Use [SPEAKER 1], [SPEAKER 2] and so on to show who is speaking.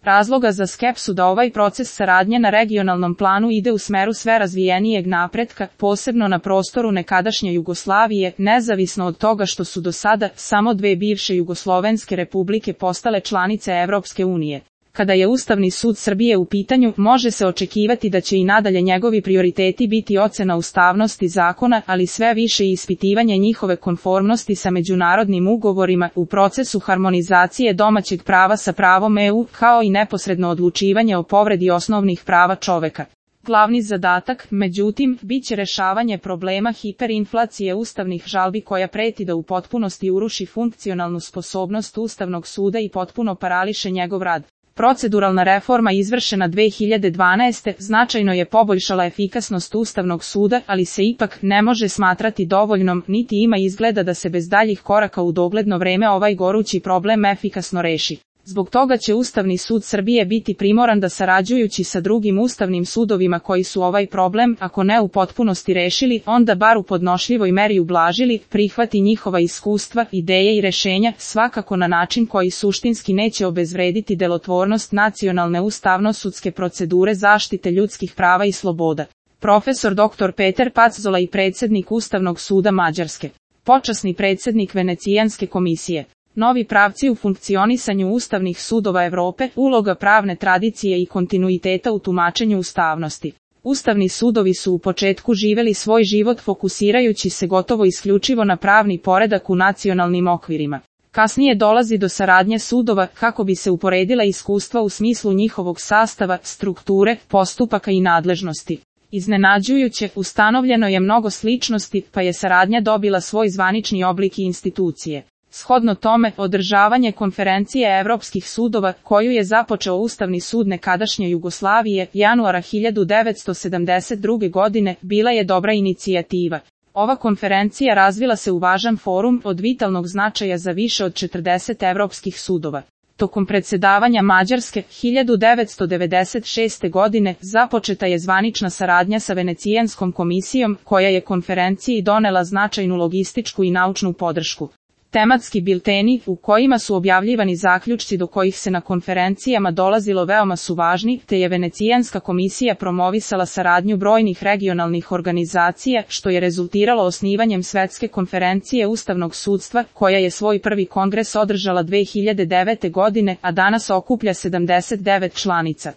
[SPEAKER 1] razloga za skepsu da ovaj proces saradnje na regionalnom planu ide u smeru sve razvijenijeg napretka, posebno na prostoru nekadašnje Jugoslavije, nezavisno od toga što su do sada samo dve bivše jugoslovenske republike postale članice Evropske unije. Kada je Ustavni sud Srbije u pitanju, može se očekivati da će i nadalje njegovi prioriteti biti ocena ustavnosti zakona, ali sve više i ispitivanje njihove konformnosti sa međunarodnim ugovorima u procesu harmonizacije domaćeg prava sa pravom EU, kao i neposredno odlučivanje o povredi osnovnih prava čoveka. Glavni zadatak, međutim, biće rešavanje problema hiperinflacije ustavnih žalbi koja preti da u potpunosti uruši funkcionalnu sposobnost Ustavnog suda i potpuno parališe njegov rad. Proceduralna reforma izvršena 2012. značajno je poboljšala efikasnost Ustavnog suda, ali se ipak ne može smatrati dovoljnom, niti ima izgleda da se bez daljih koraka u dogledno vreme ovaj gorući problem efikasno reši. Zbog toga će Ustavni sud Srbije biti primoran da sarađujući sa drugim ustavnim sudovima koji su ovaj problem, ako ne u potpunosti rešili, onda bar u podnošljivoj meri ublažili, prihvati njihova iskustva, ideje i rešenja, svakako na način koji suštinski neće obezvrediti delotvornost nacionalne ustavno-sudske procedure zaštite ljudskih prava i sloboda. Profesor dr. Peter Paczola i predsjednik Ustavnog suda Mađarske. Počasni predsjednik Venecijanske komisije. Novi pravci u funkcionisanju ustavnih sudova Evrope, uloga pravne tradicije i kontinuiteta u tumačenju ustavnosti. Ustavni sudovi su u početku živeli svoj život fokusirajući se gotovo isključivo na pravni poredak u nacionalnim okvirima. Kasnije dolazi do saradnje sudova kako bi se uporedila iskustva u smislu njihovog sastava, strukture, postupaka i nadležnosti. Iznenađujuće, ustanovljeno je mnogo sličnosti, pa je saradnja dobila svoj zvanični oblik i institucije. Shodno tome, održavanje konferencije Evropskih sudova, koju je započeo Ustavni sud nekadašnje Jugoslavije, januara 1972. godine, bila je dobra inicijativa. Ova konferencija razvila se u važan forum od vitalnog značaja za više od 40 evropskih sudova. Tokom predsedavanja Mađarske, 1996. godine, započeta je zvanična saradnja sa Venecijanskom komisijom, koja je konferenciji donela značajnu logističku i naučnu podršku. Tematski bilteni, u kojima su objavljivani zaključci do kojih se na konferencijama dolazilo veoma su važni, te je Venecijanska komisija promovisala saradnju brojnih regionalnih organizacija, što je rezultiralo osnivanjem Svetske konferencije Ustavnog sudstva, koja je svoj prvi kongres održala 2009. godine, a danas okuplja 79 članica.